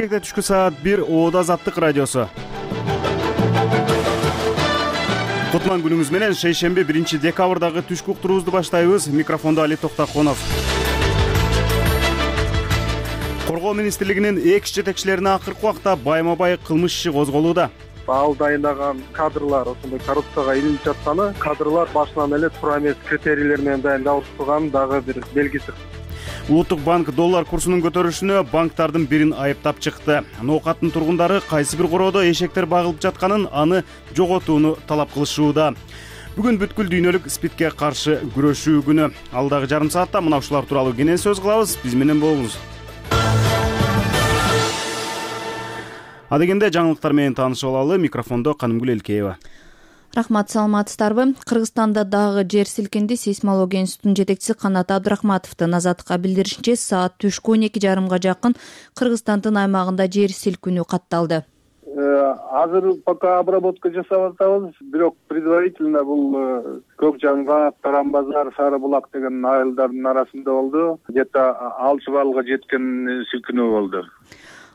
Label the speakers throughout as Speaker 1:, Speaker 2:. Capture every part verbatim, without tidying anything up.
Speaker 1: Бишкекте түшкү саат бир Оода Азаттык радиосу. Кутман күнүңүз менен шейшемби биринчи декабрдагы түшкү уктуруубузду баштайбыз. Микрофондо Али Токтаконов. Коргоо министрлигинин экс жетекчилерине акыркы убакта байма-бай кылмыш иши козголууда.
Speaker 2: Ал дайындаган кадрлар ошондой коррупцияга илинип жатканы, кадрлар башынан эле туура эмес критерийлер менен дайындалып турган дагы бир белгиси.
Speaker 1: Улуттук банк доллар курсунун көтөрүлүшүнө банктардын бирин айыптап чыкты. Ноокаттын тургундары кайсы бир короодо эшектер багылып жатканын, аны жоготууну талап кылышууда. Бүгүн бүткүл дүйнөлүк спидке каршы күрөшүү күнү. Алдагы жарым саатта мына ушулар тууралуу кенен сөз кылабыз. Биз менен болуңуз. Адегенде жаңылыктар менен таанышып алалы. Микрофондо Канымгүл Элкеева.
Speaker 3: Рахмат, саламатсыздарбы? Кыргызстанда дагы жер силкинди. Сейсмология институтунун жетекчиси Канат Абдрахматовдун Азаттыкка билдиришинче, саат түшкү он эки жарымга жакын Кыргызстандын аймагында жер силкинүү катталды.
Speaker 2: Азыр пока обработка жасап атабыз, бирок предварительно бул Көк Жаңгак, Тарамбазар, Сары Булак деген айылдардын арасында болду. Где-то алты баллга жеткен силкинүү болду.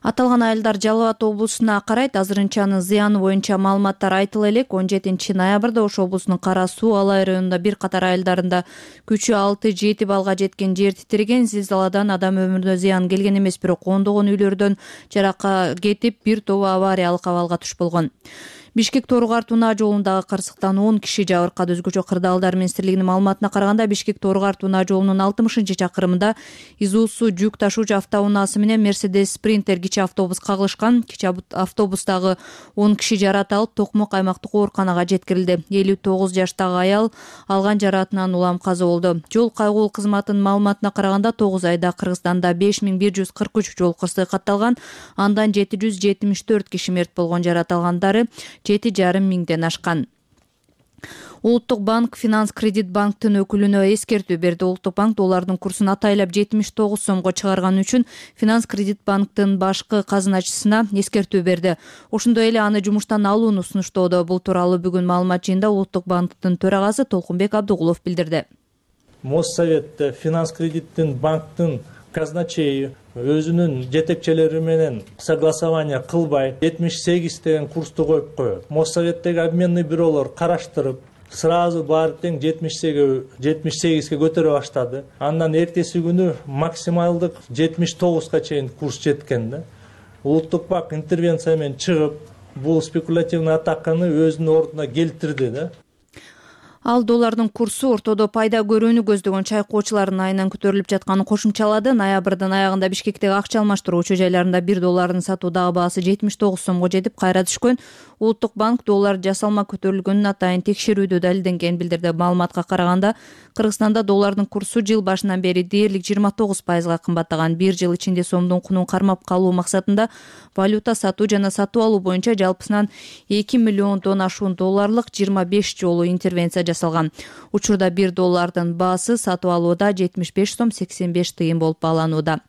Speaker 3: Аталган айылдар Жалал Абад облусуна карайт. Азырынчанын зыяны боюнча маалыматтар айтыла элек. он жетинчи ноябрда Ош облусунун Кара Суу, Алай районунда бир катар айылдарында күчү алты жети баллга жеткен жер титиреген. Зилзаладан адам өмүрүнө зыян келген эмес, бирок ондогон үйлөрдөн жаракка кетип, бир тобу авариялык абалга туш болгон. Бишкек-Торукар Тунаа жолундагы кырсыктан он киши жабыркады. Өзгөчө Кырдаалдар министрлигинин маалыматына караганда, Бишкек-Торукар Тунаа жолунун алтымышынчы чакырымында Изуусу жүк ташуучу автоунаасы менен Мерседес Спринтер кичи автобус кагылышкан. Кичи автобустагы он киши жарат алып, Токмок аймактык ооруканага жеткирилди. элүү тогуз жаштагы аял алган жаратынан улам каза болду. Жол кайгуу кызматынын маалыматына караганда, тогуз айда Кыргызстанда беш миң бир жүз кырк үч жол кырсыгы катталган. Андан жети жүз жетимиш төрт киши мерт болгон, жарат алгандары жети жарым миңден ашкан. Улуттук банк Финанс Кредит банктын өкүлүнө эскертүү берди. Улуттук банк доллардын курсун атайлап жетимиш тогуз сомго чыгарганы үчүн Финанс Кредит банктын башкы казыначысына эскертүү берди. Ошондой эле аны жумуштан алууну сунуштоодо. Бул тууралуу бүгүн маалымат жыйында Улуттук банктын төрагасы Толкунбек Абдыгулов билдирди.
Speaker 4: Моссовет Финанс Кредиттин банктын казначейи өзүнүн жетекчилери менен согласование кылбай жетимиш сегиз деген курсту коюп коет. Моссоветтеги обменный бюролор караштырып, сразу баары тең жетимиш сегизге көтөрө баштады. Андан эртеси күнү максималдык жетимиш тогузга чейин курс жеткен да. Улуттук банк интервенция менен чыгып, бул спекулятивный атаканы өзүнүн ордуна келтирди да.
Speaker 3: Ал доллардын курсу ортодо пайда көрүүнү көздөгөн чайкоочулардын айынан көтөрүлүп жатканын кошумчалады. Ноябрдын аягында Бишкектеги акча алмаштыруу учу жайларында бир доллардын сатуудагы баасы жетимиш тогуз сомго жетип, кайра түшкөн. Улуттук банк доллар жасалма көтөрүлгөнүн атайын текшерүүдө далилденгенин билдирди. Маалыматка караганда, Кыргызстанда доллардын курсу жыл башынан бери дээрлик жыйырма тогуз пайызга кымбаттаган. Бир жыл ичинде сомдун кунун кармап калуу максатында валюта сатуу жана сатып алуу боюнча жалпысынан эки миллиондон ашуун долларлык жыйырма беш жолу интервенция жасалган. Учурда бир доллардын баасы сатып алууда жетимиш беш сом сексен беш тыйын болуп бааланууда.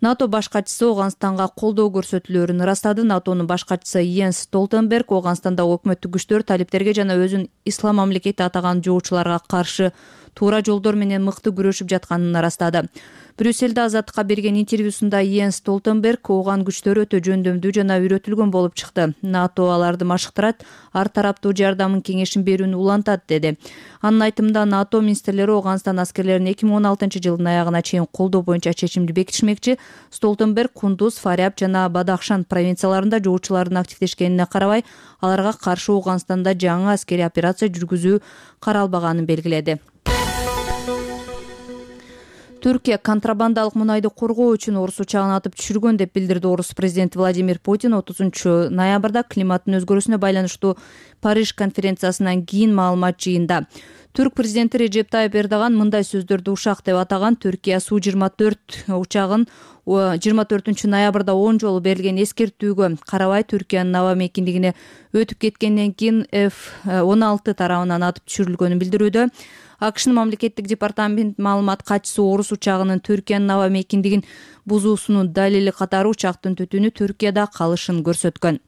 Speaker 3: НАТО баш катчысы Ооганстанга колдоо көрсөтүүлөрүн ырастады. НАТОнун баш катчысы Йенс Столтенберг Ооганстандагы өкмөттүк күчтөр талиптерге жана өзүн ислам мамлекети атаган жоочуларга каршы туура жолдор менен мыкты күрөшүп жатканын ырастады. Брюссельде Азаттыкка берген интервьюсунда Йенс Столтенберг ооган күчтөр өтө жөндөмдүү жана үйрөтүлгөн болуп чыкты. НАТО аларды машыктырат, ар тараптуу жардамын кеңешин берүүнү улантат, деди. Анын айтымында, НАТО министрлери Ооганстан аскерлерин эки миң он алтынчы жылдын аягына чейин колдоо боюнча чечимди бекитишмекчи. Столтенберг Кундуз, Фаряб жана Бадахшан провинцияларында жоочулардын активдешкенине карабай, аларга каршы Ооганстанда жаңы аскерий операция жүргүзүү каралбаганын белгиледи. Түркия контрабандалык мунайды коргоо үчүн орус учагын атып түшүргөн деп билдирди орус президенти Владимир Путин отузунчу ноябрда климаттын өзгөрүүсүнө байланыштуу Париж конференциясынан кийин маалымат жыйында. Түрк президенти Режеп Тайып Эрдоган мындай сөздөрдү ушак деп атаган. Түркия Су жыйырма төрт учагын жыйырма төртүнчү ноябрда он жолу берилген эскертүүгө карабай Түркиянын аба мейкиндигине өтүп кеткенден кийин эф он алты тарабынан атып түшүрүлгөнүн билдирүүдө. АКШнын мамлекеттик департамент маалымат катчысы орус учагынын Түркиянын аба мейкиндигин бузуусунун далили катары учактын түтүнү Түркияда калышын көрсөткөн.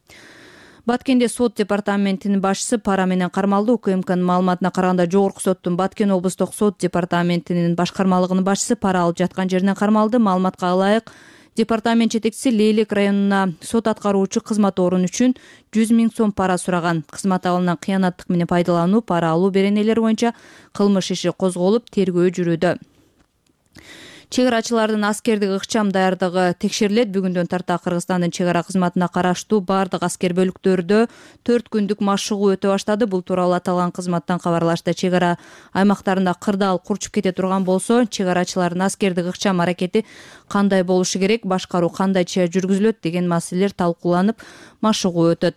Speaker 3: Баткенде сот департаментинин башчысы пара менен кармалды. УКМКнын маалыматына караганда, Жогорку соттун Баткен облустук сот департаментинин башкармалыгынын башчысы пара алып жаткан жеринен кармалды. Маалыматка ылайык, Департамент жетекчиси Лейлек районуна сот аткаруучу кызмат орун үчүн жүз миң сом пара сураган. Кызмат абалынан кыянаттык менен пайдалануу, пара алуу беренелери боюнча кылмыш иши козголуп, тергөө жүрүүдө. Чек арачылардын аскердик ыкчам даярдыгы текшерилет. Бүгүндөн тарта Кыргызстандын чек ара кызматына караштуу бардык аскер бөлүктөрдө төрт күндүк машыгуу өтө баштады. Бул тууралуу аталган кызматтан кабарлашты. Чек ара аймактарында кырдаал курчуп кете турган болсо, чек арачылардын аскердик ыкчам аракети кандай болушу керек, башкаруу кандайча жүргүзүлөт деген маселелер талкууланып, машыгуу өтөт.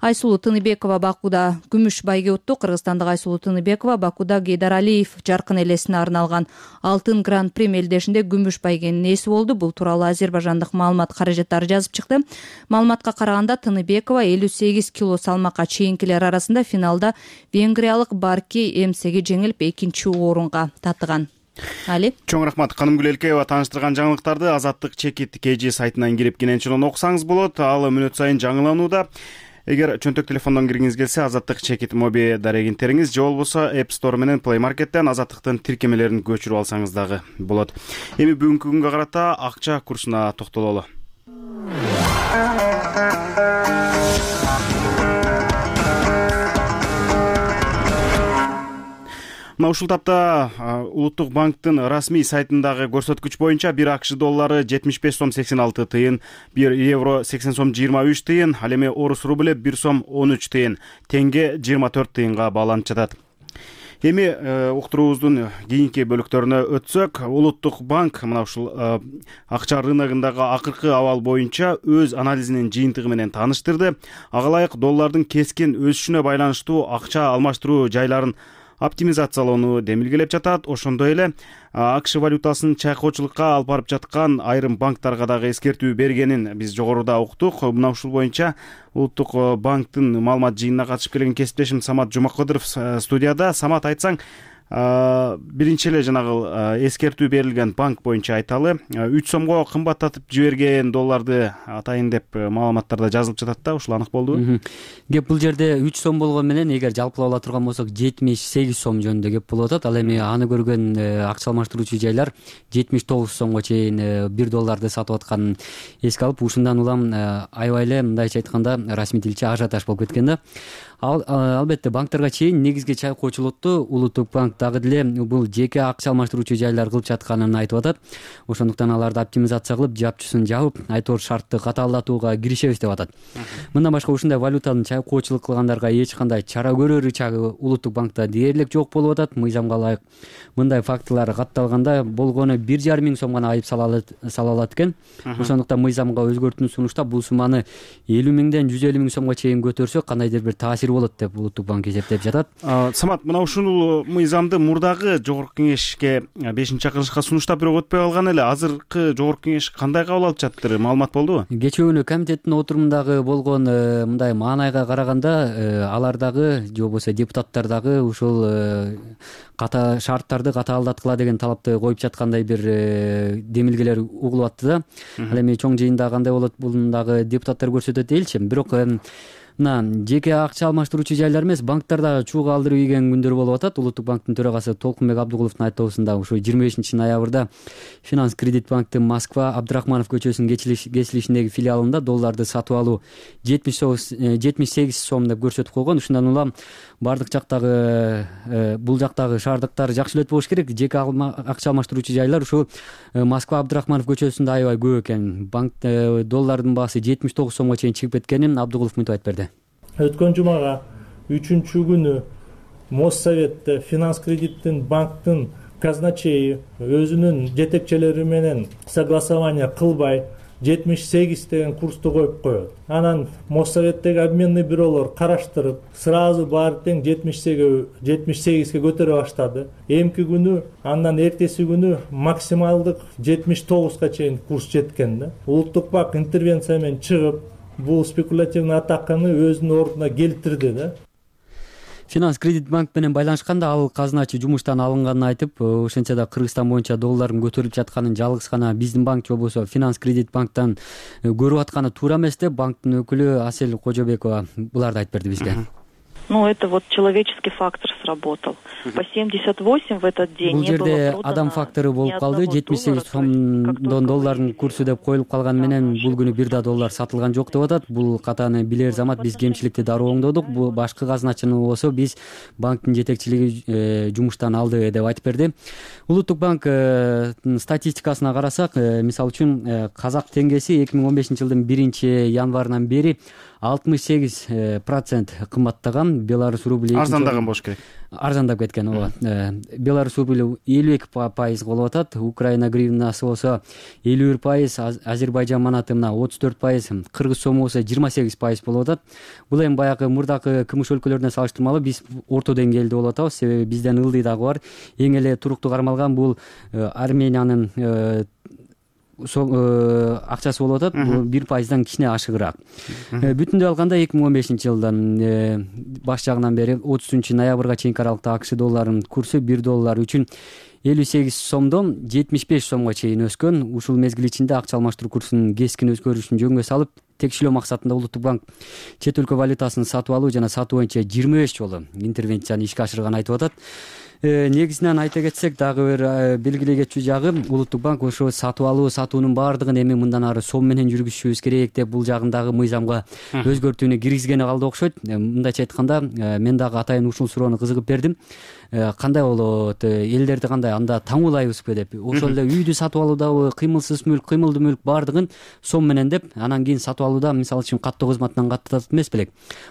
Speaker 3: Айсулуу Тыныбекова Бакуда күмүш байге утту. Кыргызстандык Айсулуу Тыныбекова Бакуда Гейдаралиев жаркын элесине арналган алтын гран-при мелдешинде күмүш байгенин ээси болду. Бул тууралуу азербайжандык маалымат каражаттары жазып чыкты. Маалыматка караганда Тыныбекова элүү сегиз кило салмакка чейинкилер арасында финалда венгриялык Барки Эмсеги жеңилип экинчи орунга татыган. Али.
Speaker 1: Чоң рахмат. Канымгүл Элкеева тааныштырган жаңылыктарды Азаттык чекит кж сайтынан кирип кененчилен окусаңыз болот. Ал мүнөт сайын жаңыланууда. Эгер чөнтөк телефондон киргиңиз келсе, Азаттык чекит моби дарегинтериңиз же болбосо App Store менен Play Market'тен Азаттыктын тиркемелерин көчүрүп алсаңыз дагы болот. Эми бүгүнкү күнгө карата акча курсуна токтололу. Мына ушул тапта Улуттук банктын расмий сайтындагы көрсөткүч боюнча бир АКШ доллары жетимиш беш сом сексен алты тыйын, бир евро сексен сом жыйырма үч тыйын, ал эми орус рубле бир сом он үч тыйын, теңге жыйырма төрт тыйынга бааланып жатат. Эми уктуруубуздун кийинки бөлүктөрүнө өтсөк, Улуттук банк мына ушул акча рыногундагы акыркы абал боюнча өз анализинин жыйынтыгы менен тааныштырды. Ага ылайык доллардын кескин өсүшүнө байланыштуу акча алмаштыруу жайларын оптимизациялоону демилгелеп жатат. Ошондой эле АКШ валютасын чайкоочулукка алып барып жаткан айрым банктарга дагы эскертүү бергенин биз жогоруда уктук. Мына ушул боюнча Улуттук банктын маалымат жыйынына катышып келген кесиптешим Самат Жумакадыров студияда. Самат, айтсаң, биринчи эле жанагы эскертүү берилген банк боюнча айталы. үч сомго кымбаттатып жиберген долларды атайын деп маалыматтарда жазылып жатат да, ушул анык болдубу?
Speaker 5: Кеп бул жерде үч сом болгон менен эгер жалпылап ала турган болсок жетимиш сегиз сом жөнүндө кеп болуп атат. Ал эми аны көргөн акча алмаштыруучу жайлар жетимиш тогуз сомго чейин бир долларды сатып атканын эске алып, ушундан улам аябай эле мындайча айтканда расмий тилче ажиотаж болуп кеткен да. Ал албетте банктарга чейин негизги чайкоочулукту Улуттук банк дагы деле бул жеке акча алмаштыруучу жайлар кылып жатканын айтып атат. Ошондуктан аларды оптимизация кылып, жапчысын жабып, айтор шартты катаалдатууга киришебиз деп атат. Мындан башка ушундай валютанын чайкоочулук кылгандарга эч кандай чара көрөр ычагы Улуттук банкта дээрлик жок болуп атат. Мыйзамга ылайык мындай фактылар катталганда болгону бир жарым миң сом гана айып сала алат экен. Ошондуктан мыйзамга өзгөртүүнү сунуштап бул сумманы элүү миңден жүз элүү миң сомго чейин көтөрсөк кандайдыр бир таасир болот деп Улуттук банк эсептеп жатат.
Speaker 1: Самат, мына ушул мыйзамды мурдагы жогорку кеңешке бешинчи чакырылышка сунуштап бирок өтпөй калган эле. Азыркы жогорку кеңеш кандай кабыл алып жатыр? Маалымат болдубу?
Speaker 5: Кечээ күнү комитеттин отурумундагы болгон мындай маанайга караганда алардагы же болбосо депутаттар дагы ушул ката шарттарды катаалдаткыла деген талапты коюп жаткандай бир демилгелер угулуп атты да. Ал эми чоң жыйында кандай болот бул дагы депутаттар көрсөтөт элчим. Бирок мына жеке акча алмаштыруучу жайлар эмес, банктарда чууга алдырып ийген күндөр болуп атат. Улуттук банктын төрагасы Толкунбек Абдыгуловдун айтканында ушу жыйырма бешинчи ноябрда Финанс Кредит банктын Москва Абдрахманов көчөсүнүн кесилишиндеги филиалында долларды сатып алуу жетимиш сегиз сом деп көрсөтүп койгон. Ушундан улам бардык жактагы бул жактагы шаардыктар жакшы эле болуш керек. Жеке акча алмаштыруучу жайлар ушу Москва Абдрахманов көчөсүндө аябай көп экен. Банк доллардын баасы жетимиш тогуз сомго чейин чыгып кеткенин Абдыгулов мынтип айтып берди.
Speaker 4: Өткөн жумага үчүнчү күнү Моссоветте Финанс Кредиттин банктын казначейи өзүнүн жетекчилери менен согласование кылбай жетимиш сегиз деген курсту коюп коет. Анан Моссоветтеги обменный бюролор караштырып, сразу баары тең жетимиш сегизге көтөрө баштады. Эмки күнү, андан эртеси күнү максималдык жетимиш тогузга чейин курс жеткен да. Улуттук банк интервенция менен чыгып, бул спекулятивный атаканы өзүнүн ордуна келтирди да.
Speaker 5: Финанс Кредит банк менен байланышканда ал казначы жумуштан алынганын айтып, ошентсе да Кыргызстан боюнча доллардын көтөрүлүп жатканын жалгыз гана биздин банк же болбосо Финанс Кредит банктан көрүп атканы туура эмес деп банктын өкүлү Асель Кожобекова буларды айтып берди бизге.
Speaker 6: Ну, это вот человеческий фактор сработал. По семьдесят восемь в этот день
Speaker 5: бул
Speaker 6: не было
Speaker 5: жерде
Speaker 6: продано
Speaker 5: адам фактору
Speaker 6: ни
Speaker 5: болуп калды.
Speaker 6: одного
Speaker 5: жетимиш сегиз
Speaker 6: доллара, то есть, как
Speaker 5: сомдон
Speaker 6: только
Speaker 5: доллардын
Speaker 6: вы
Speaker 5: курсу деп коюлуп калганы менен бул күнү бир да доллар сатылган жок деп атат. Бул катаны билер замат биз кемчиликти дароо оңдодук. Бул башкы казначыны болсо биз банктын жетекчилиги жумуштан алды деп айтып берди. Улуттук банк статистикасына карасак, мисалы үчүн казак теңгеси эки миң он бешинчи жылдын биринчи январынан бери алтымыш сегиз процент кымбаттаган. Беларусь рубли
Speaker 1: арзандаган болуш керек.
Speaker 5: Арзандап кеткен, ооба. Беларусь рубли элүү эки пайыз болуп атат. Украина гривнасы болсо элүү бир пайыз, Азербайжан манаты мына отуз төрт пайыз, кыргыз сому болсо жыйырма сегиз пайыз болуп атат. Бул эми баягы мурдакы кмш өлкөлөрүнө салыштырмалуу биз орто деңгээлде болуп атабыз. Себеби бизден ылдый дагы бар. Эң эле туруктуу кармалган бул Армениянын акчасы болуп атат. Бул бир пайыздан кичине ашыгыраак. Бүтүндөй алганда эки миң он бешинчи жылдан баш жагынан бери отузунчу ноябрга чейинки аралыкта АКШ долларынын курсу бир доллар үчүн элүү сегиз сомдон жетимиш беш сомго чейин өскөн. Ушул мезгил ичинде акча алмаштыруу курсунун кескин өзгөрүшүн жөнгө салып, текшилөө максатында Улуттук банк чет өлкө валютасын сатып алуу жана сатуу боюнча жыйырма беш жолу интервенцияны ишке ашырганын айтып атат. Негизинен айта кетсек, дагы бир белгилей кетчү жагы, Улуттук банк ошо сатып алуу, сатуунун баардыгын эми мындан ары сом менен жүргүзүшүбүз керек деп бул жагындагы мыйзамга өзгөртүүнү киргизгени калды окшойт. Мындайча айтканда, мен дагы атайын ушул суроону кызыгып бердим. Кандай болот, элдерди кандай анда таңуулайбызбы деп. Ошол эле үйдү сатып алуудабы, кыймылсыз мүлк, кыймылдуу мүлк баардыгын сом менен деп, анан кийин сатып алууда мисалы үчүн каттоо кызматынан каттатат эмес белек.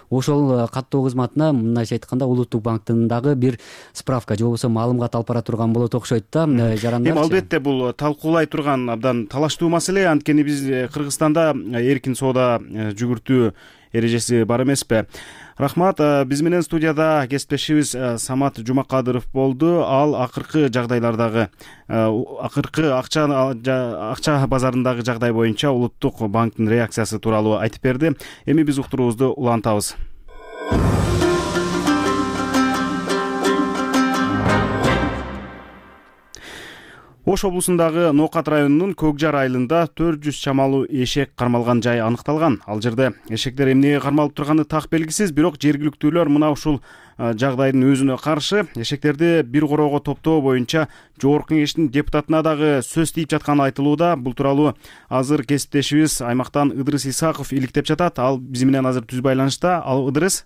Speaker 5: Ошол каттоо кызматына мындайча айтканда Улуттук банктын дагы бир справка же болбосо маалымат алып бара турган болот окшойт да, жарандар.
Speaker 1: Эми албетте бул талкуулай турган абдан талаштуу маселе. Анткени биз Кыргызстанда эркин соода жүгүртүү эрежеси бар эмеспи? Рахмат. Биз менен студияда кесиптешибиз Самат Жумакадыров болду. Ал акыркы жагдайлардагы, акыркы акча акча базарындагы жагдай боюнча Улуттук банктын реакциясы тууралуу айтып берди. Эми биз уктуруубузду улантабыз. Ош облусундагы Ноокат районунун Көк Жар айылында төрт жүз чамалуу эшек кармалган жай аныкталган. Ал жерде эшектер эмнеге кармалып турганы так белгисиз, бирок жергиликтүүлөр мына ушул жагдайдын өзүнө каршы эшектерди бир короого топтоо боюнча жогорку кеңештин депутатына дагы сөз тийип жатканы айтылууда. Бул тууралуу азыр кесиптешибиз аймактан Ыдырыс Исаков иликтеп жатат. Ал биз менен азыр түз байланышта. Ал Ыдырыс.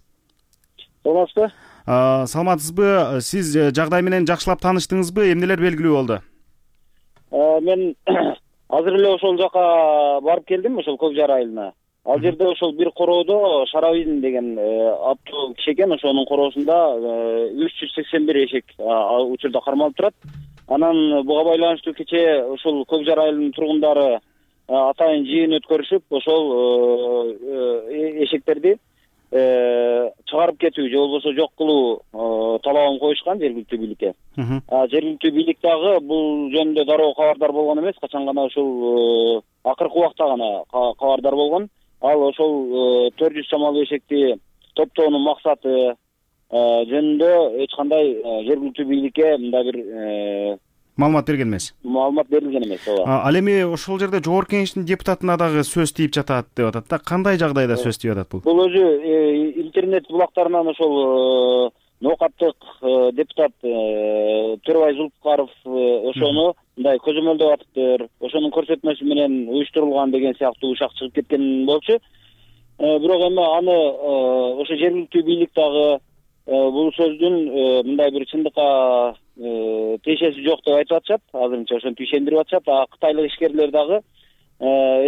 Speaker 2: Саламатсызбы?
Speaker 1: Саламатсызбы? Сиз жагдай менен жакшылап тааныштыңызбы? Эмнелер белгилүү болду?
Speaker 7: Мен азыр эле ошол жака барып келдим, ошол Көк Жар айылына. Ал жерде ошол бир короодо Шарабин деген аттуу киши экен, ошонун короосунда үч жүз сексен бир эшек учурда кармалып турат. Анан буга байланыштуу кечээ ошол Көк Жар айылынын тургундары атайын жыйын өткөрүшүп, ошол эшектерди чыгарып кетүү же болбосо жок кылуу талабын коюшкан жергиликтүү бийликке. Жергиликтүү бийлик дагы бул жөнүндө дароо кабардар болгон эмес, качан гана ушул акыркы убакта гана кабардар болгон. Ал ошол төрт жүз чамалуу эшекти топтоонун максаты жөнүндө эч кандай жергиликтүү бийликке мындай бир
Speaker 1: маалымат берген эмес.
Speaker 7: Маалымат берилген эмес, ооба.
Speaker 1: Ал эми ошол жерде жогорку кеңештин депутатына дагы сөз тийип жатат деп атат да. Кандай жагдайда сөз тийип атат бул?
Speaker 7: Бул өзү интернет булактарынан ошол Ноокаттык депутат Төрөбай Зулпукаров ошону мындай көзөмөлдөп атыптыр, ошонун көрсөтмөсү менен уюштурулган деген сыяктуу ушак чыгып кеткен болчу. Бирок эми аны ошо жергиликтүү бийлик дагы бул сөздүн мындай бир чындыкка тиешеси жок деп айтып атышат. Азырынча ошентип ишендирип атышат. А кытайлык ишкерлер дагы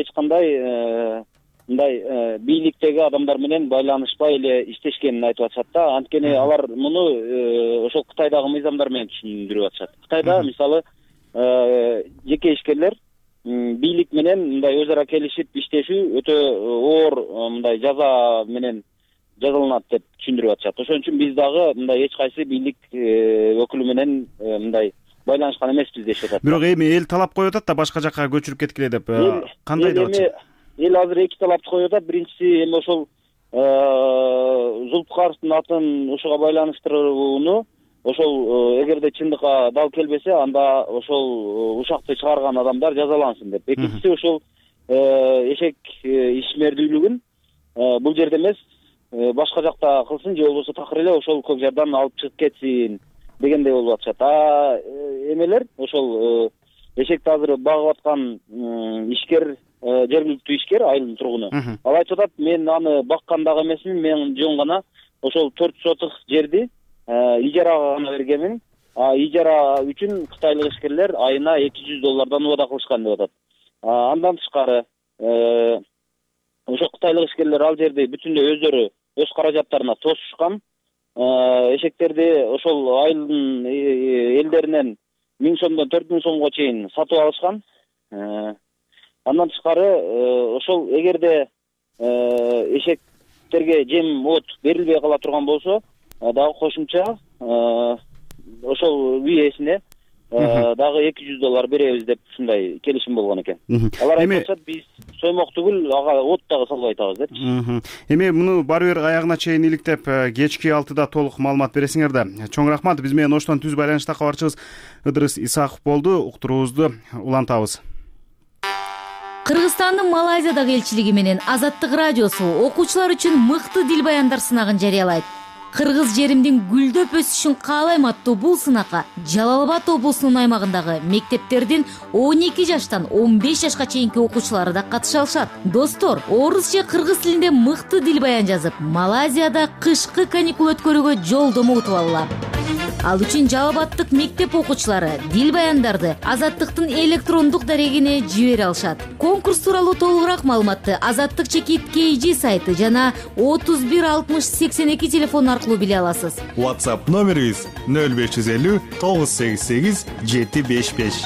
Speaker 7: эч кандай мындай бийликтеги адамдар менен байланышпай эле иштешкенин айтып атышат да. Анткени алар муну ошол Кытайдагы мыйзамдар менен түшүндүрүп атышат. Кытайда мисалы жеке ишкерлер бийлик менен мындай өз ара келишип иштешүү өтө оор мындай жаза менен жазаланат деп түшүндүрүп атышат. Ошон үчүн биз дагы мындай эч кайсы бийлик өкүлү менен мындай байланышкан эмеспиз дешип атат.
Speaker 1: Бирок эми эл талап коюп атат да башка жакка көчүрүп кеткиле деп. Кандай деп атышат?
Speaker 7: Эл азыр эки талапты коюп атат. Биринчиси эми ошол Зулпукаровдун атын ушуга байланыштырууну ошол эгерде чындыкка дал келбесе, анда ошол ушакты чыгарган адамдар жазалансын деп. Экинчиси ошол эшек ишмердүүлүгүн бул жерде эмес, башка жакта кылсын же болбосо такыр эле ошол көк жардан алып чыгып кетсин дегендей болуп атышат. А эмелер ошол эшекти азыр багып аткан ишкер, жергиликтүү ишкер, айылдын тургуну, ал айтып атат, мен аны баккан дагы эмесмин, мен жөн гана ошол төрт соток жерди ижарага гана бергенмин. А ижара үчүн кытайлык ишкерлер айына эки жүз доллардан убада кылышкан деп атат. Андан тышкары ошо кытайлык ишкерлер ал жерди бүтүндөй өздөрү өз каражаттарына тосушкан. Эшектерди ошол айылдын элдеринен миң сомдон төрт миң сомго чейин сатып алышкан. Андан тышкары ошол эгерде эшектерге жем от берилбей кала турган болсо дагы кошумча ошол үй ээсине дагы эки жүз доллар беребиз деп ушундай келишим болгон экен. Алар айтышат, биз соймок түгүл, ага от дагы салбай атабыз депчи.
Speaker 1: Эми муну баары бир аягына чейин иликтеп, кечки алтыда толук маалымат бересиңер да. Чоң рахмат. Биз менен Оштон түз байланышта кабарчыбыз Ыдырыс Исаков болду. Уктуруубузду улантабыз.
Speaker 8: Кыргызстандын Малайзиядагы элчилиги менен Азаттык радиосу окуучулар үчүн мыкты дил баяндар сынагын жарыялайт. Кыргыз жеримдин гүлдөп өсүшүн каалайм аттуу бул сынакка Жалал Абад облусунун аймагындагы мектептердин он эки жаштан он беш жашка чейинки окуучулары да катыша алышат. Достор, орус же кыргыз тилинде мыкты дил баян жазып, Малайзияда кышкы каникул өткөрүүгө жолдомо утуп алгыла. Ал үчүн Жалал Абадтык мектеп окуучулары дил баяндарды Азаттыктын электрондук дарегине жибере алышат. Конкурс тууралуу толугураак маалыматты Азаттык чекит кей джи сайты жана отуз бир алтымыш сексен эки телефон аркылуу биле аласыз.
Speaker 9: WhatsApp номерибиз нөл беш жүз элүү тогуз сегиз сегиз жети беш беш.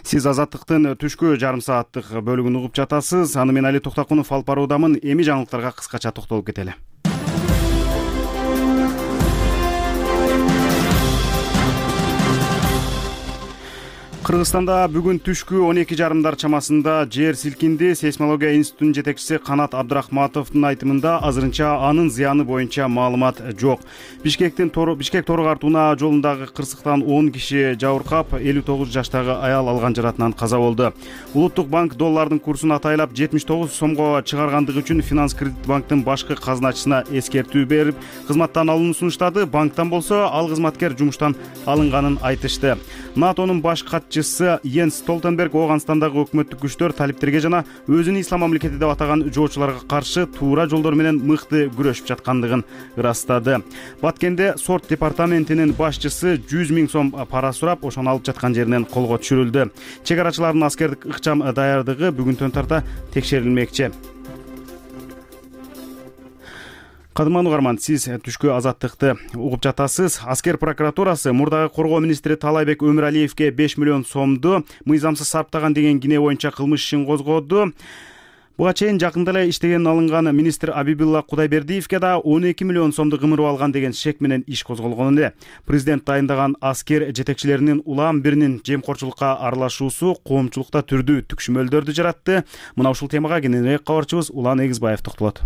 Speaker 1: Сиз Азаттыктын түшкү жарым сааттык бөлүгүн угуп жатасыз. Аны мен Али Токтакунов алып баруудамын. Эми жаңылыктарга кыскача токтолуп кетели. Кыргызстанда бүгүн түшкү он эки жарымдар чамасында жер силкинди. Сейсмология институтунун жетекчиси Канат Абдрахматовдун айтымында азырынча анын зыяны боюнча маалымат жок. Бишкектин Бишкек Тору Артуна жолундагы кырсыктан он киши жабыркап, элүү тогуз жаштагы аял алган жаратынан каза болду. Улуттук банк доллардын курсун атайлап жетимиш тогуз сомго чыгаргандыгы үчүн Финанс Кредит банктын башкы казначысына эскертүү берип, кызматтан алууну сунуштады. Банктан болсо ал кызматкер жумуштан алынганын айтышты. НАТОнун баш катчысы Йенс Столтенберг Ооганстандагы өкмөттүк күчтөр талиптерге жана өзүн ислам мамлекети деп атаган жоочуларга каршы туура жолдор менен мыкты күрөшүп жаткандыгын ырастады. Баткенде сот департаментинин башчысы жүз миң сом пара сурап, ошону алып жаткан жеринен колго түшүрүлдү. Чек арачылардын аскердик ыкчам даярдыгы бүгүнтөн тарта текшерилмекчи. Кадырман угарман, сиз түшкү Азаттыкты угуп жатасыз. Аскер прокуратурасы мурдагы коргоо министри Талайбек Өмүралиевге беш миллион сомду мыйзамсыз сарптаган деген кине боюнча кылмыш ишин козгоду. Буга чейин жакында эле иштеген алынган министр Абибилла Кудайбердиевге да он эки миллион сомду кымырып алган деген шек менен иш козголгон эле. Президент дайындаган аскер жетекчилеринин улам биринин жемкорчулукка аралашуусу коомчулукта түрдүү түкшүмөлдөрдү жаратты. Мына ушул темага кененирээк кабарчыбыз Улан Эгизбаев токтолот.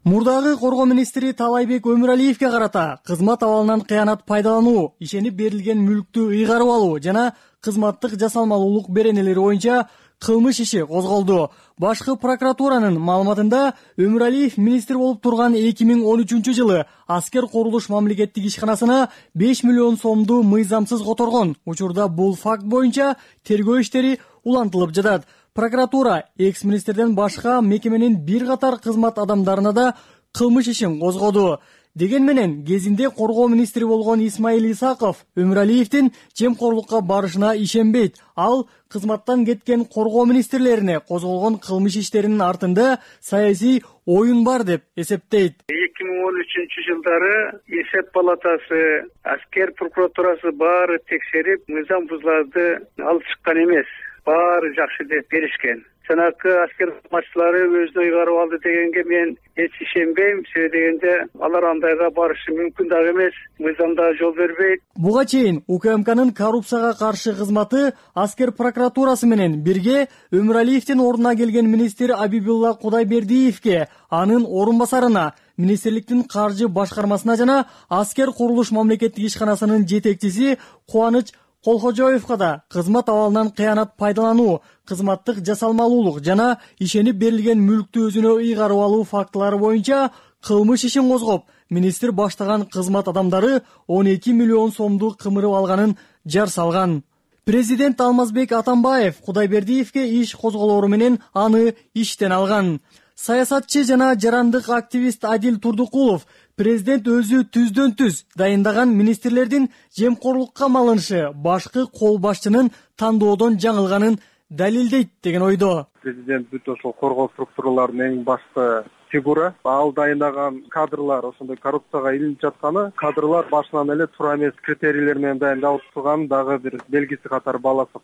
Speaker 10: Мурдагы коргоо министри Талайбек Өмүралиевге карата кызмат абалынан кыянат пайдалануу, ишенип берилген мүлктү ыйгарып алуу жана кызматтык жасалмалуулук беренелери боюнча кылмыш иши козголду. Башкы прокуратуранын маалыматында Өмүралиев министр болуп турган эки миң он үчүнчү жылы аскер курулуш мамлекеттик ишканасына беш миллион сомду мыйзамсыз которгон. Учурда бул факт боюнча тергөө иштери улантылып жатат. Прокуратура экс-министрден башка мекеменин бир катар кызмат адамдарына да кылмыш ишин козгоду. Деген менен кезинде коргоо министри болгон Исмаил Исаков Өмүралиевдин жемкорлукка барышына ишенбейт. Ал кызматтан кеткен коргоо министрлерине козголгон кылмыш иштеринин артында саясий оюн бар деп эсептейт.
Speaker 2: эки миң он үчүнчү жылдары эсеп палатасы, аскер прокуратурасы баары текшерип, мыйзам бузуларды алып чыккан эмес. Баары жакшы деп беришкен. Жанакы аскер кызматчылары өзүнө ыйгарып алды дегенге мен эч ишенбейм. Себеби дегенде алар андайга барышы мүмкүн дагы эмес. Мыйзамда жол бербейт.
Speaker 10: Буга чейин УКМКнын коррупцияга каршы кызматы аскер прокуратурасы менен бирге Өмүралиевдин ордуна келген министр Абибилла Кудайбердиевге, анын орун басарына, министрликтин каржы башкармасына жана аскер курулуш мамлекеттик ишканасынын жетекчиси Кубаныч Колхожоевго да кызмат абалынан кыянат пайдалануу, кызматтык жасалмалуулук жана ишенип берилген мүлктү өзүнө ыйгарып алуу фактылары боюнча кылмыш ишин козгоп, министр баштаган кызмат адамдары он эки миллион сомду кымырып алганын жар салган. Президент Алмазбек Атамбаев Кудайбердиевге иш козголору менен аны иштен алган. Саясатчы жана жарандык активист Адил Турдукулов президент өзү түздөн түз дайындаган министрлердин жемкорлукка малынышы башкы кол башчынын тандоодон жаңылганын далилдейт деген ойдо.
Speaker 11: Президент бүт ошол коргоо структураларынын эң башкы фигура. Ал дайындаган кадрлар ошондой коррупцияга илинип жатканы, кадрлар башынан эле туура эмес критерийлер менен дайындалып турган дагы бир белгиси катары баласып.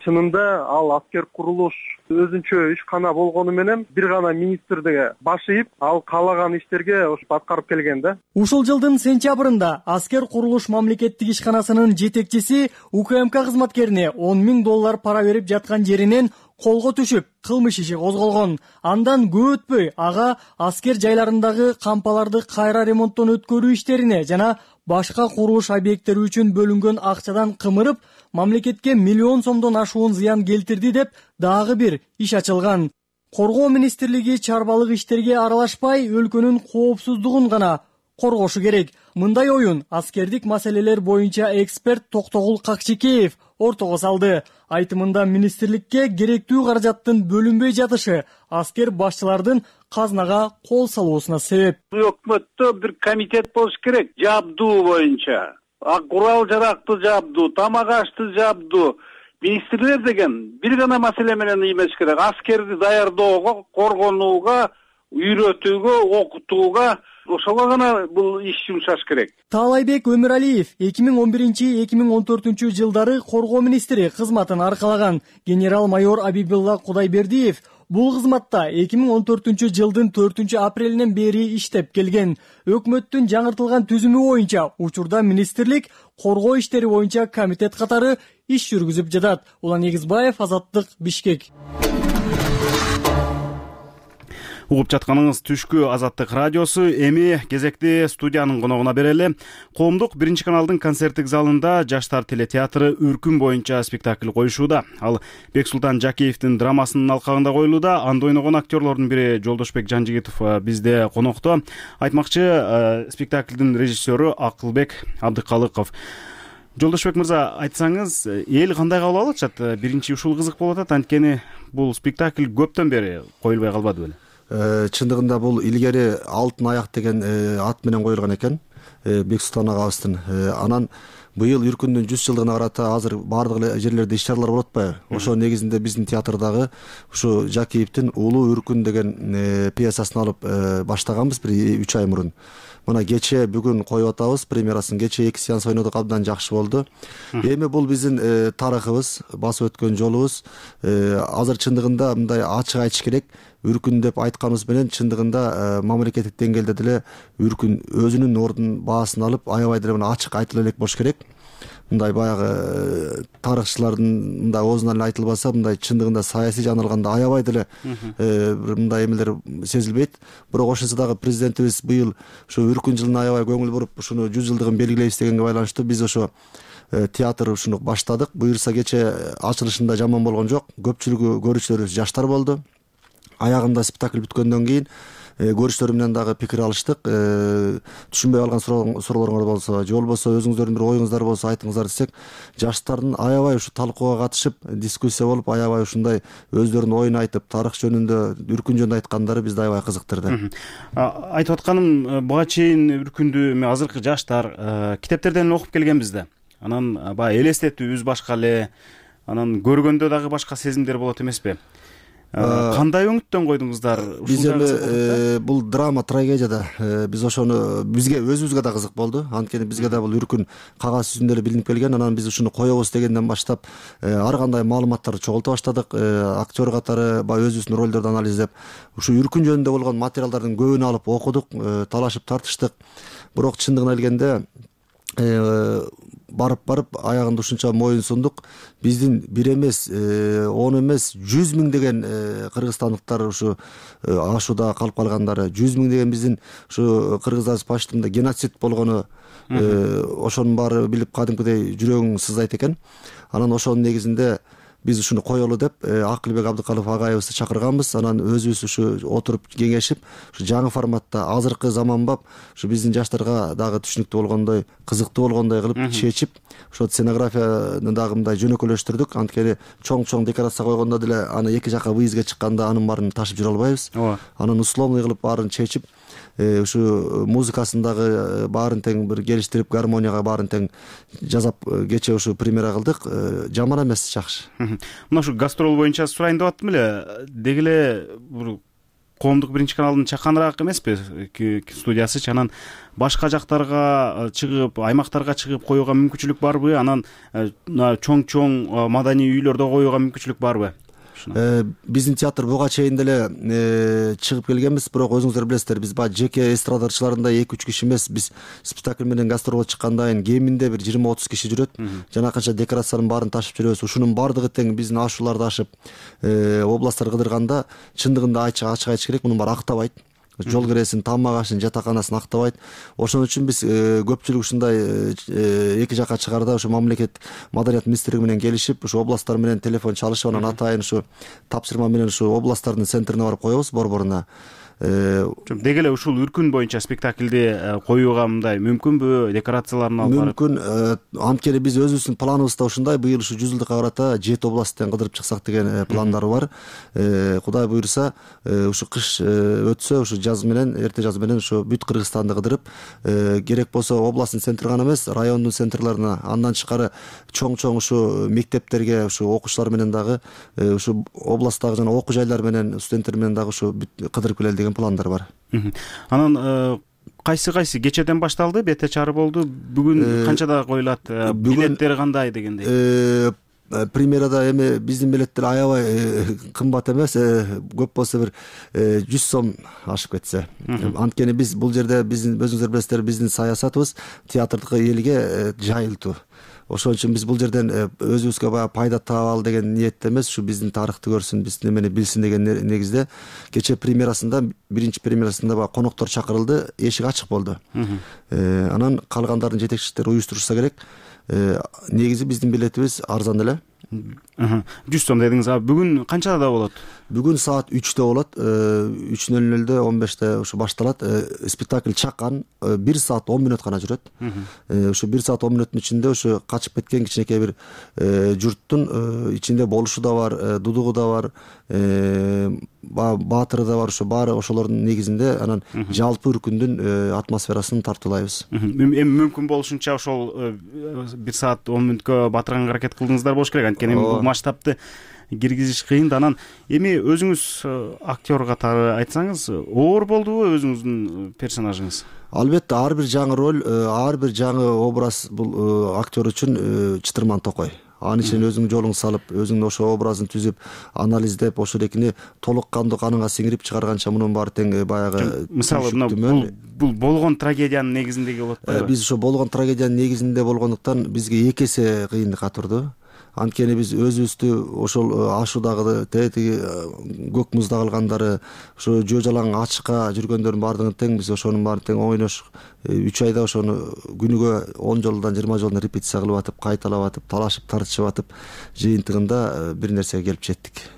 Speaker 11: Чынында ал аскер курулуш өзүнчө ишкана болгону менен бир гана министрдиге баш ийип, ал каалаган иштерге аткарып келген да.
Speaker 10: Ушул жылдын сентябрында аскер курулуш мамлекеттик ишканасынын жетекчиси УКМК кызматкерине он миң доллар пара берип жаткан жеринен колго түшүп, кылмыш иши козголгон. Андан көп өтпөй ага аскер жайларындагы кампаларды кайра ремонттон өткөрүү иштерине жана башка курулуш объекттери үчүн бөлүнгөн акчадан кымырып, мамлекетке миллион сомдон ашуун зыян келтирди деп дагы бир иш ачылган. Коргоо министрлиги чарбалык иштерге аралашпай, өлкөнүн коопсуздугун гана коргошу керек. Мындай оюн аскердик маселелер боюнча эксперт Токтогул Какчекеев ортого салды. Айтымында министрликке керектүү каражаттын бөлүнбөй жатышы аскер башчылардын казнага кол салуусуна себеп.
Speaker 12: Өкмөттө бир комитет болуш керек, жабдуу боюнча. Курал жаракты жабдуу, тамак ашты жабдуу. Министрлер деген бир гана маселе менен эмес керек. Аскерди даярдоого, коргонууга, үйрөтүүгө, окутууга, ошого гана бул иш жумшаш керек.
Speaker 10: Таалайбек Өмүралиев эки миң он биринчи — эки миң он төртүнчү жылдары коргоо министри кызматын аркалаган. Генерал-майор Абибилла Кудайбердиев бул кызматта эки миң он төртүнчү жылдын төртүнчү апрелинен бери иштеп келген. Өкмөттүн жаңыртылган түзүмү боюнча учурда министрлик коргоо иштери боюнча комитет катары иш жүргүзүп жатат. Улан Эгизбаев, Азаттык, Бишкек.
Speaker 1: Угуп жатканыңыз түшкү Азаттык радиосу. Эми кезекти студиянын коногуна берели. Коомдук биринчи каналдын концерттик залында Жаштар телетеатры Үркүн боюнча спектакль коюшууда. Ал Бексултан Жакиевдин драмасынын алкагында коюлууда. Анда ойногон актерлордун бири Жолдошбек Жанжигитов бизде конокто. Айтмакчы, спектаклдин режиссеру Акылбек Абдыкалыков. Жолдошбек мырза, айтсаңыз, эл кандай кабыл алып атат? Биринчи ушул кызык болуп атат, анткени бул спектакль көптөн бери коюлбай калбады беле?
Speaker 13: Чындыгында бул илгери Алтын аяк деген ат менен коюлган экен, Бексултан агабыздын. Анан быйыл Үркүндүн жүз жылдыгына карата азыр бардык эле жерлерде иш-чаралар болуп атпайбы? Ошо негизинде биздин театрдагы ушу Жакиевдин Улуу Үркүн деген пьесасын алып баштаганбыз бир үч ай мурун. Мына кече бүгүн коюп атабыз, премьерасын кече эки сеанс ойнодук, абдан жакшы болду. Эми бул биздин тарыхыбыз, басып өткөн жолубуз. Азыр чындыгында мындай ачык айтыш керек. Үркүн деп айтканыбыз менен чындыгында мамлекеттик деңгээлде деле Үркүн өзүнүн ордун баасын алып, аябай деле ачык айтыла элек болуш керек. Мындай баягы тарыхчылардын мындай оозунан эле айтылбаса, мындай чындыгында саясий жагын алганда аябай деле мындай эмелер сезилбейт. Бирок ошонсо дагы президентибиз быйыл ушу Үркүн жылына аябай көңүл буруп, ушуну жүз жылдыгын белгилейбиз дегенге байланыштуу биз ошо театр ушуну баштадык. Буюрса кече ачылышында жаман болгон жок. Көпчүлүгү көрүүчүлөрүбүз жаштар болду. Аягында спектакль бүткөндөн кийин көрүүчүлөр менен дагы пикир алыштык. Түшүнбөй калган суроолоруңар болсо, же болбосо өзүңүздөрдүн бир оюңуздар болсо айтыңыздар десек, жаштардын аябай ушу талкууга катышып, дискуссия болуп, аябай ушундай өздөрүнүн оюн айтып, тарых жөнүндө, Үркүн жөнүндө айткандары бизди аябай кызыктырды.
Speaker 1: Айтып атканым, буга чейин Үркүндү азыркы жаштар китептерден окуп келгенбиз да. Анан баягы элестетүүбүз башка эле, анан көргөндө дагы башка сезимдер болот эмеспи? Кандай өңүттөн койдуңуздар?
Speaker 13: Биз эми бул драма, трагедия да. Биз ошону бизге өзүбүзгө да кызык болду. Анткени бизге да бул Үркүн кагаз жүзүндө эле билинип келген. Анан биз ушуну коебуз дегенден баштап ар кандай маалыматтарды чогулта баштадык. Актер катары баягы өзүбүздүн ролдорду анализдеп, ушу Үркүн жөнүндө болгон материалдардын көбүн алып окудук, талашып тартыштык. Бирок чындыгына келгенде барып барып аягында ушунча моюн сундук. Биздин бир эмес, он эмес, жүз миң деген кыргызстандыктар ушу ашууда калып калгандары, жүз миң деген биздин ушу кыргыздар паштында геноцид болгону, ошонун баары билип кадимкидей жүрөгүң сыздайт экен. Анан ошонун негизинде биз ушуну коелу деп Акылбек Абдыкалов агайыбызды чакырганбыз. Анан өзүбүз ушу отуруп кеңешип, ушу жаңы форматта азыркы заманбап, ушу биздин жаштарга дагы түшүнүктүү болгондой, кызыктуу болгондой кылып чечип, ошо сценографияны дагы мындай жөнөкөйлөштүрдүк. Анткени чоң-чоң декорация койгондо деле аны эки жака выездге чыкканда анын баарын ташып жүрө албайбыз. Анан условный кылып баарын чечип, ушу музыкасын дагы баарын тең бир келиштирип, гармонияга баарын тең жасап кечээ ушу премьера кылдык. Жаман эмес, жакшы.
Speaker 1: Мына ушу гастрол боюнча сурайын деп аттым эле. Деги эле бир коомдук биринчи каналдын чаканыраак эмеспи студиясычы? Анан башка жактарга чыгып, аймактарга чыгып коюуга мүмкүнчүлүк барбы? Анан чоң-чоң маданий үйлөрдө коюуга мүмкүнчүлүк барбы?
Speaker 13: Биздин театр буга чейин деле чыгып келгенбиз, бирок өзүңүздөр билесиздер, биз баягы жеке эстрадачыларындай эки үч киши эмес, биз спектакль менен гастролго чыккандан кийин кеминде бир жыйырма отуз киши жүрөт. Жанакынча декорациянын баарын ташып жүрөбүз. Ушунун баардыгы тең биздин ашууларды ашып, областтар кыдырганда чындыгында ачык айтыш керек, мунун баары актабайт. Жол киресин, тамак ашын, жатаканасын актабайт. Ошон үчүн биз көпчүлүк ушундай эки жака чыгарда ушу мамлекет маданият министрлиги менен келишип, ушу областтар менен телефон чалышып, анан атайын ушу тапшырма менен ушу областтардын центрине барып коебуз, борборуна.
Speaker 1: Деги эле ушул үркүн боюнча спектакльди коюуга мындай мүмкүнбү? Декорацияларын алып барып?
Speaker 13: Мүмкүн. Анткени биз өзүбүздүн планыбызда ушундай, быйыл ушу жүз жылдыкка карата жети областтан кыдырып чыксак деген пландар бар. Кудай буйрса, ушу кыш өтсө, ушу жаз менен, эрте жаз менен ушу бүт Кыргызстанды кыдырып, керек болсо областтын центри гана эмес, райондун центрларына, андан тышкары чоң-чоң ушу мектептерге, ушу окуучулар менен дагы, ушу областтагы жана окуу жайлар менен, студенттер менен дагы ушу кыдырып келели деген пландар бар.
Speaker 1: Анан кайсы кайсы кечеден башталды, бете чары болду. Бүгүн канчада коюлат? Билеттер кандай дегендей?
Speaker 13: Премьерада эми биздин билеттер аябай кымбат эмес, көп болсо бир жүз сом ашып кетсе. Анткени биз бул жерде биздин өзүңүздөр билесиздер, биздин саясатыбыз театрдыкы элге жайылтуу. Ошон үчүн биз бул жерден өзүбүзгө баягы пайда табалы деген ниетте эмес, ушу биздин тарыхты көрсүн, биздин эмени билсин деген негизде кечээ премьерасында, биринчи премьерасында баягы коноктор чакырылды, эшик ачык болду. Анан калгандардын жетекчиликтери уюштурушса керек. Негизи биздин билетибиз арзан эле.
Speaker 1: жүз сом дедиңиз. Бүгүн канчада болот?
Speaker 13: Бүгүн саат үчтө болот. үч нөл нөлдө он беште ушу башталат. Спектакль чакан бир саат он мүнөт гана жүрөт. Ушу бир саат он мүнөттүн ичинде ушу качып кеткен кичинекей бир журттун ичинде болушу да бар, дудугу да бар, баатыры да бар, ушу баары ошолордун негизинде анан жалпы үркүндүн атмосферасын тартуулайбыз.
Speaker 1: Эми мүмкүн болушунча ошол бир саат он мүнөткө батырганга аракет кылдыңыздар болуш керек. Анткени бул масштабты киргизиш кыйын. Анан эми өзүңүз актер катары айтсаңыз, оор болдубу өзүңүздүн персонажыңыз?
Speaker 13: Албетте, ар бир жаңы роль, ар бир жаңы образ бул актер үчүн чытырман токой. Анын ичине өзүңүн жолуңду салып, өзүңдүн ошо образын түзүп, анализдеп, ошол экини толук кандуу каныңа сиңирип чыгарганча мунун баары тең баягы.
Speaker 1: Мисалы, бул болгон трагедиянын негизиндеги болот атпайбы?
Speaker 13: Биз ошо болгон трагедиянын негизинде болгондуктан бизге эки эсе кыйынлыкка турду. Анткени биз өзүбүздү ошол ашуудагы тетиги көк музда калгандары, ошо жөө жалаң ачыкка жүргөндөрдүн баардыгын тең биз ошонун баарын тең ойнош үч айда ошону күнүгө он жолдон жыйырма жолдон репетиция кылып атып, кайталап атып, талашып тартышып атып, жыйынтыгында бир нерсеге келип жеттик.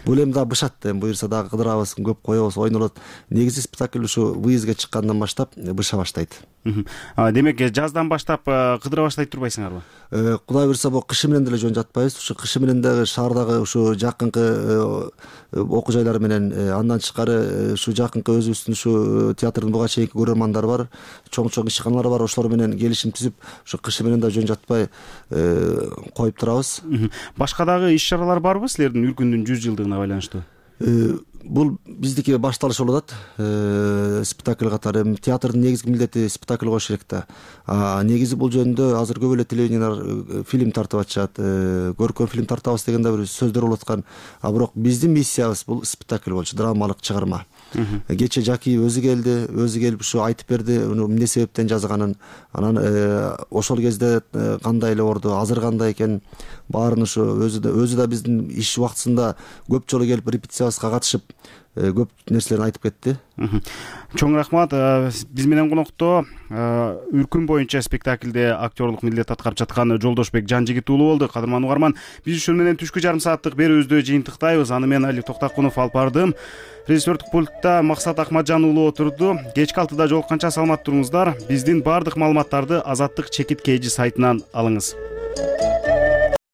Speaker 13: Бул эми дагы бышат, эми буюрса дагы кыдырабыз, көп коебуз, ойнолот. Негизи спектакль ушу выездге чыккандан баштап быша баштайт.
Speaker 1: Демек, жаздан баштап кыдыра баштайт турбайсыңарбы?
Speaker 13: Кудай буюрса, бул кышы менен деле жөн жатпайбыз. Ушу кышы менен дагы шаардагы ушу жакынкы окуу жайлар менен, андан тышкары ушу жакынкы өзүбүздүн ушу театрдын буга чейинки көрөрмандары бар, чоң-чоң ишканалар бар, ошолор менен келишим түзүп, ушу кышы менен да жөн жатпай коюп турабыз.
Speaker 1: Башка дагы иш чаралар барбы силердин үркүндүн жүз жылдыгына байланыштуу?
Speaker 13: бул биздики башталыш болуп атат. Спектакль катары театрдын негизги милдети спектакль коюш керек да. Негизи бул жөнүндө азыр көп эле телевидениялар фильм тартып атышат, көркөм фильм тартабыз деген да бир сөздөр болуп аткан. А бирок биздин миссиябыз бул спектакль болчу, драмалык чыгарма. Кече Жакиев өзү келди, өзү келип ушу айтып берди, эмне себептен жазганын, анан ошол кезде кандай эле орду, азыр кандай экен, баарын ушу өзү да өзү да биздин иш убактысында көп жолу келип репетициябызга катышып көп нерселерин айтып кетти.
Speaker 1: Чоң рахмат. Биз менен конокто Үркүн боюнча спектакльде актерлук милдет аткарып жаткан Жолдошбек Жанжигит уулу болду. Кадырман угарман, биз ушун менен түшкү жарым сааттык берүүбүздү жыйынтыктайбыз. Аны мен Алик Токтакунов алып бардым. Режиссердук пультта Максат Акматжан уулу отурду. Кечки алтыда жолукканча саламат туруңуздар. Биздин баардык маалыматтарды Азаттык чекит кж сайтынан алыңыз.